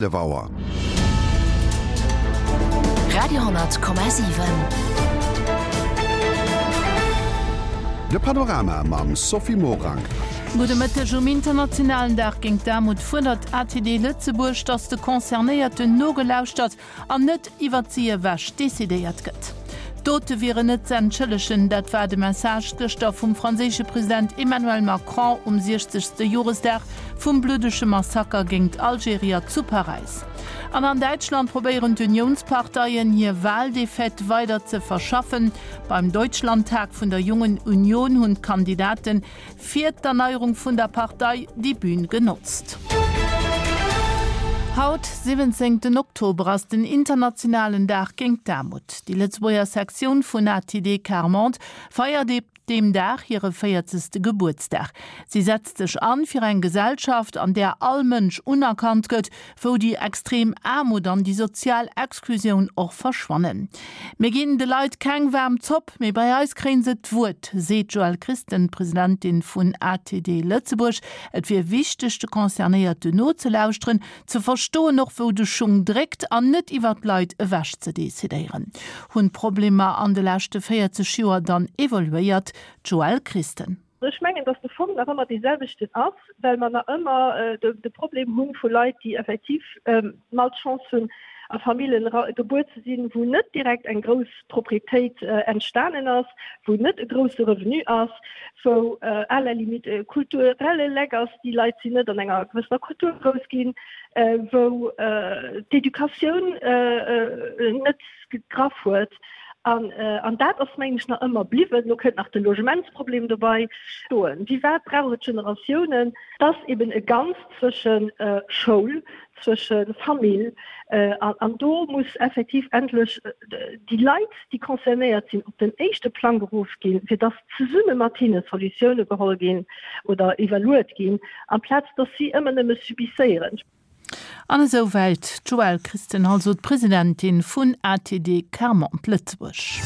11 Auer. Radio,7. De Panorama mam Sophie Morang. Gudde Mëtteg. Um internationalen Dag géint d'Aarmut fuerdert ATD Lëtzebuerg, datt de Concernéierten nogelauschtert an net iwwert si ewech decidéiert gëtt. D'Dote wieren net ze entschëllegen, dat war de Message gëschter vum franséische President Emmanuel Macron um 60. Joresdag vum bluddege Massaker géingt Algerier zu Paräis. An an Däitschland probéieren d'Unionsparteien hir Wahldefaite weider ze verschaffen. Beim Deutschlandtag vun der Jungen Union hunn d'Kandidaten Fir d'Erneierung vun der Partei déi Bühn genotzt. Haut, 17 Oktober, ass den internationalen Dag géint d'Aarmut. Déi Lëtzebuerger Sektioun vun ATD Quart Monde feiert op deem Dag hire 40. Gebuertsdag. Si setzt sech an fir eng Gesellschaft, an där all Mënsch unerkannt gëtt, wou déi extrem Aarmut an déi sozial Exklusioun och verschwannen. Mir ginn de Leit keng waarm Zopp, mee bei eis kréien se d'Wuert, seet d'Joëlle Christen, Presidentin vun ATD Lëtzebuerg. Et wier wichteg, de Concernéierten nozelauschteren, ze verstoen och wou de Schung dréckt an net iwwer d'Leit ewech ze decidéieren. Hunn d'Problemer an de leschte 40 Joer dann evoluéiert? D'Joëlle Christen. Ech mengen, datt de Fong nach ëmmer dee selwechten ass, well mer nach ëmmer de Problem hu vu Leit, déi effektiv d'Malchance hunn, a Famillen gebuer ze sinn, wou net direkt eng grouss Proprietéit entstanen ass, wou net e grousse Revenu ass, wou à la limite e kulturelle Leck ass, déi Leit sinn net an enger gewëssener Kultur grouss ginn, wou d'Educatioun net gegraff huet. An dat ass, mengen ech, nach ëmmer bliwwen. Elo kënnt nach de Logementsproblem dobei stoen. Wéi wat brauch et Generatiounen? Et ass eben e Ganzt zwësche Schoul, zwësche Famill. An do muss effektiv endlech déi Leit, déi concernéiert sinn, op den éischte Plang geruff ginn, fir dass zesumme mat hinne Solutioune geholl ginn oder iwwerluet ginn, amplaz dass si ëmmer nëmme subisséieren. An esou wäit d'Joëlle Christen, also d'Presidentin vun ATD Quart-Monde Lëtzebuerg.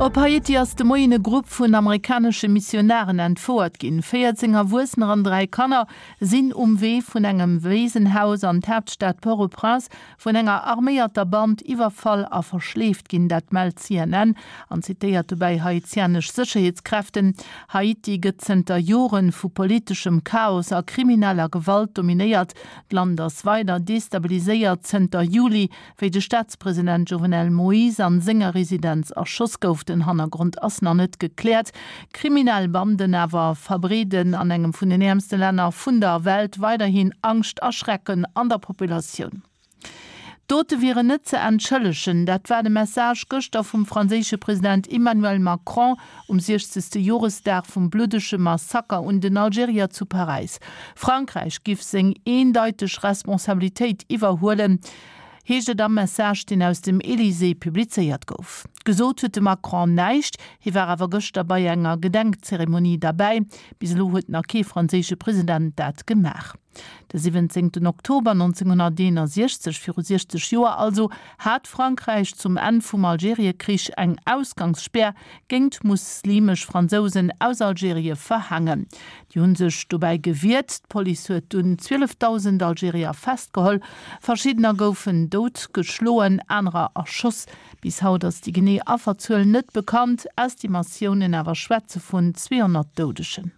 Op Haiti ass de Moien e Grupp vun amerikanesche Missionaren entfouert ginn. 14 Erwuessener an 3 Kanner sinn um Wee vun engem Weesenhaus an d'Haaptstad Port-au-Prince vun enger arméierter Band iwwerfall a verschleeft ginn. Dat mellt CNN an zitéiert dobäi haitianesch Sécherheetskräften. Haiti gëtt zënter Jore vu politeschem Chaos a krimineller Gewalt dominéiert. D'Land ass weider destabiliséiert zënter Juli, wéi de Staatspresident Jovenel Moïse an senger Residenz erschoss gouf. Den Hannergrond ass nach net gekläert. Kriminell Banden awer verbreeden an engem vun den äermste Länner vun der Welt weiderhin Angscht a Schrecken an der Populatioun. D'Dote wieren net ze entschëllegen, dat war de Message gëschter vum franséische President Emmanuel Macron um 60. Joresdag vum bluddege Massaker un den Algerier zu Paräis. Frankräich giff seng eendeiteg Responsabilitéit iwwerhuelen, heescht et am Message, deen aus dem Elysée publizéiert gouf. Gesot huet de Macron näischt, hie war awer gëschter bei enger Gedenkzeremonie derbäi. Bis elo huet nach kee franséische President dat gemaach. De 17 Oktober 1961, viru 60 Joer also, hat Frankräich zum Enn vum Algeriekrich eng Ausgangsspär géingt muslimesch Fransousen aus Algerie verhaangen. Déi hu sech dobäi gewiert. D'Police huet dunn 12.000 Algerier festgeholl. Verschiddener goufen dout geschloen, anerer erschoss. Bis haut ass déi genee Afferzuel net bekannt, Estimatiounen awer schwätze vun 200 Doudegen.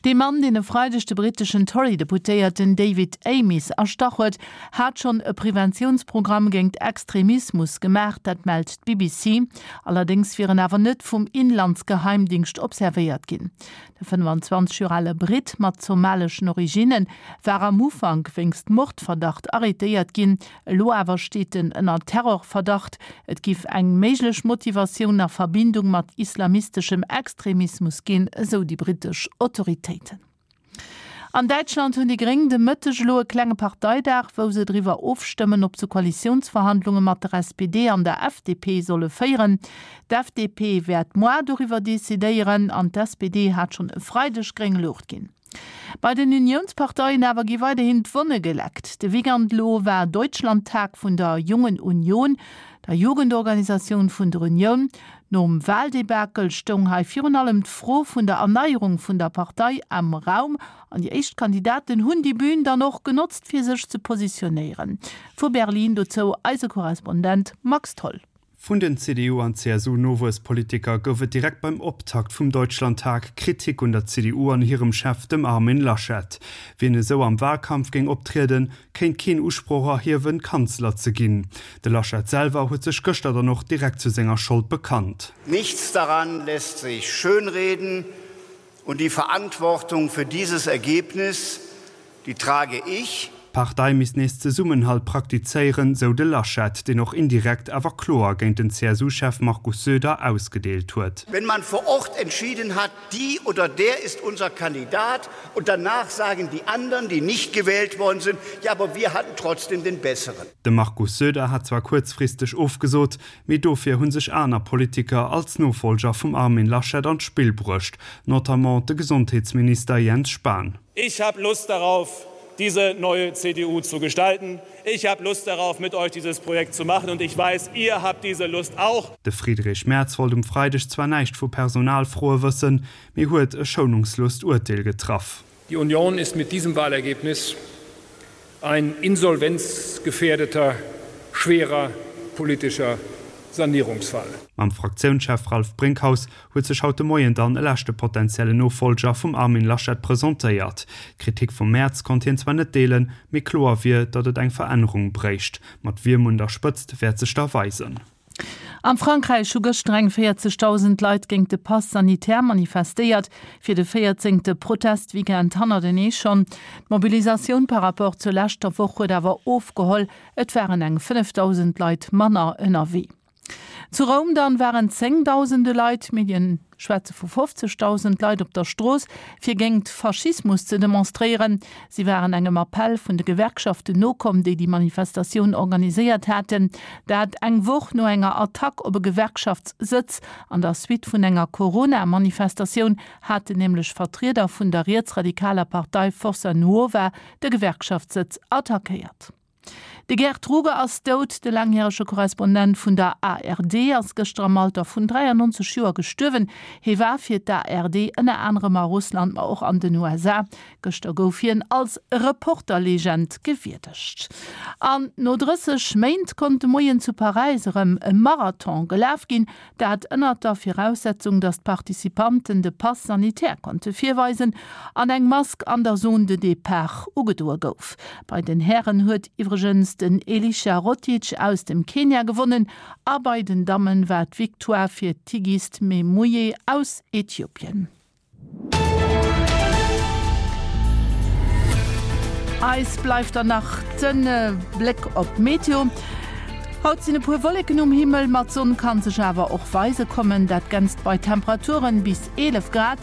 Dee Mann, deen e Freideg de britteschen Tory-Deputéierten David Amess erstach huet, hat schonn e Preventiounsprogramm géingt Extremismus gemaach, dat mellt d'BBC. Allerdéngs wier en awer net vum Inlandsgeheimdingscht observéiert ginn. De 25 Joer ale Britt mat somaleschen Originne war am Ufank wéinst Mordverdacht arrêtéiert ginn. Elo awer steet en ënner Terrorverdacht. Et giff eng méiglech Motivatioun a Verbindung mat islamisteschem Extremismus ginn, esou déi brittesch Autoritéiten. An Däitschland hunn déi Gréng de Mëtteg elo e klenge Parteidag, wou se driwwer ofstëmmen, ob se Koalitiounsverhandlunge mat der SPD an der FDP solle féieren. D'FDP wäert moar doriwwer decidéieren an d'SPD hat schonn e Freideg gréng Luucht ginn. Bei den Uniounsparteien awer gi weiderhin d'Wonne geleckt. De Weekend elo war Deutschlandtag vun der Jungen Union, der Jugendorganisatioun vun der Unioun. Nom Waldebakel stoung hei virun allem d'Fro vun der Erneierung vun der Partei am Raum an déi éischt Kandidaten hunn déi Bün dann och genotzt fir sech ze positionéieren. Vu Berlin dozou eise Korrespondent Max Tholl. Vun den CDU an CSU-Nowuesspolitiker gouf et direkt beim Optakt vum Deutschlandtag Kritik un der CDU an hirem Chef, dem Armin Laschet. Wien esou am Walkampf géing optrieden, kéint keen Usproch erhiewen, Kanzler ze ginn. De Laschet selwer huet sech gëschter dann och direkt zu senger Schold bekannt. Nichts daran lässt sich schönreden und die Verantwortung für dieses Ergebnis, die trage ich. D'Partei misst nees Zesummenhalt praktizéieren, sou de Laschet, deen och indirekt awer kloer géint den CSU-Chef Markus Söder ausgedeelt huet. Wenn man vor Ort entschieden hat, die oder der ist unser Kandidat und danach sagen die anderen, die nicht gewählt worden sind, ja, aber wir hatten trotzdem den besseren. De Markus Söder hat zwar kuerzfristeg ofgesot, mee dofir hu sech aner Politiker als Nofollger vum Armin Laschet an d'Spill bruecht, notamment de Gesondheetsminister Jens Spahn. Ich habe Lust darauf, diese neue CDU zu gestalten. Ich habe Lust darauf, mit euch dieses Projekt zu machen und ich weiß, ihr habt diese Lust auch. De Friedrich Merz wollt um Freideg zwar näischt vu Personalfroe wëssen, mee huet e schounungslost Urteel getraff. Die Union ist mit diesem Wahlergebnis ein insolvenzgefährdeter, schwerer politischer Sanierungsfall. Mam Fraktiounschef Ralph Brinkhaus huet sech haut de Moien dann e leschte potentiellen Nofollger vum Armin Laschet presentéiert. D'Kritik vum Merz konnt hien zwar net deelen, mee kloer wier, datt et eng Verännerung bréicht. Mat wiem un der Spëtzt wäert sech da weisen. Am Frankräich hu gëschter eng 40.000 Leit géint de Pass sanitaire manifestéiert, fir de véierzéngte Protestweekend hannertenee schonn. D'Mobilisatioun par rapport zur leschter Woch huet awer ofgeholl, et waren eng 5.000 Leit manner ënnerwee. Zu Roum dann waren zéngdausende Leit, d'Medien schwätze vu 50.000 Leit, op der Strooss, fir géingt Faschismus ze demonstréieren. Si waren engem Appell vun de Gewerkschaften nokomm, déi déi Manifestatioun organiséiert haten. Dat eng Woch no enger Attack op e Gewerkschaftssëtz. An der Suite vun enger Corona-Manifestatioun haten nämlech Vertrieder vun der rietsradikaler Partei Forza Nuova de Gewerkschaftssëtz attackéiert. De Gerd Ruge ass dout. De laangjärege Korrespondent vun der ARD ass gëschter am Alter vun 93 Joer gestuerwen. Hie war fir d'ARD ënner anerem a Russland, ma och an den USA. Gëschter gouf hien als Reporter-Legend gewierdegt. An no 30 Méint konnt de Moien zu Paräis erëm e Marathon gelaf ginn. Dat ënnert der Viraussetzung, datt d'Participanten de Pass sanitaire konnte virweisen an eng Mask an der Zone de départ ugedoe gouf. Bei den Hären huet iwwregens den Elisha Rotich aus dem Kenia gewonnen a bei den Damme war d'Victoire fir d'Tigist Memuye aus Äthiopien. Eis bleift dann nach de Bléck op d'Meteo. Haut sinn e puer Wolleken um Himmel, ma d'Sonn kann sech awer och weise kommen. Dat Ganzt bei Temperaturen bis 11 Grad.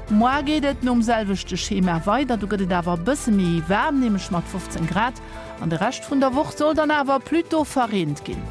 Moar geet et nom selwechte Schema weider, do gëtt et awer e bësse méi waarm, nämlech mat 15 Grad. An de Rescht vun der Woch soll dann awer plutôt verreent ginn.